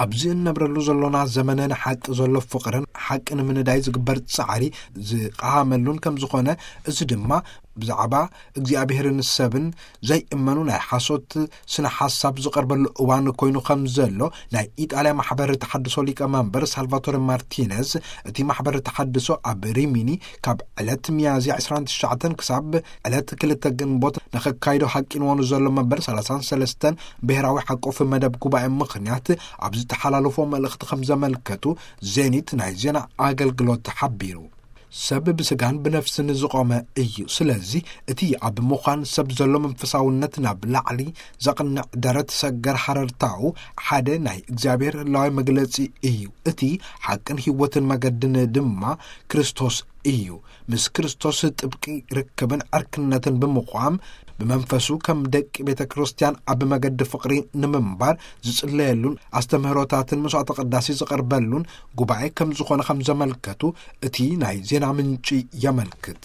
ኣብዚ እንነብረሉ ዘሎና ዘመነ ንሓቂ ዘሎ ፍቕርን ሓቂ ንምንዳይ ዝግበር ጻዕሪ ዝቐሃመሉን ከም ዝኾነ፣ እዚ ድማ ብዛዕባ እግዚኣብሔርን ሰብን ዘይእመኑ ናይ ሓሶት ስነ ሓሳብ ዝቐርበሉ እዋን ኮይኑ ከም ዘሎ ናይ ኢጣልያ ማሕበር ተሓድሶ ሊቀ መንበር ሳልቫቶረ ማርቲነዝ፣ እቲ ማሕበር ተሓድሶ ኣብ ሪሚኒ ካብ ዕለት ሚያዝያ ዕስራን ትሽዓተን ክሳብ ዕለት ክልተ ግንቦት ንኸካይዶ ሃቂንዎኑ ዘሎ መበል ሰላሳን ሰለስተን ብሔራዊ ሓቆፍ መደብ ጉባኤ ምኽንያት ኣብ ዝተሓላለፎ መልእኽቲ ከም ዘመልከቱ ዜኒት ናይ ዜና ኣገልግሎት ሓቢሩ። ሰብ ብስጋን ብነፍስን ዝቖመ እዩ። ስለዚ እቲ ኣብ ምዃን ሰብ ዘሎ መንፈሳውነት ናብ ላዕሊ ዘቕንዕ ደረት ሰገር ሃረርታኡ ሓደ ናይ እግዚኣብሔር ህላዊ መግለጺ እዩ። እቲ ሓቅን ህይወትን መገድን ድማ ክርስቶስ እዩ። ምስ ክርስቶስ ጥብቂ ርክብን ዕርክነትን ብምቋም ብመንፈሱ ከም ደቂ ቤተ ክርስቲያን ኣብ መገዲ ፍቕሪ ንምንባር ዝጽለየሉን ኣስተምህሮታትን መስዋዕተ ቅዳሴ ዝቐርበሉን ጉባኤ ከም ዝኾነ ከም ዘመልከቱ እቲ ናይ ዜና ምንጪ የመልክት።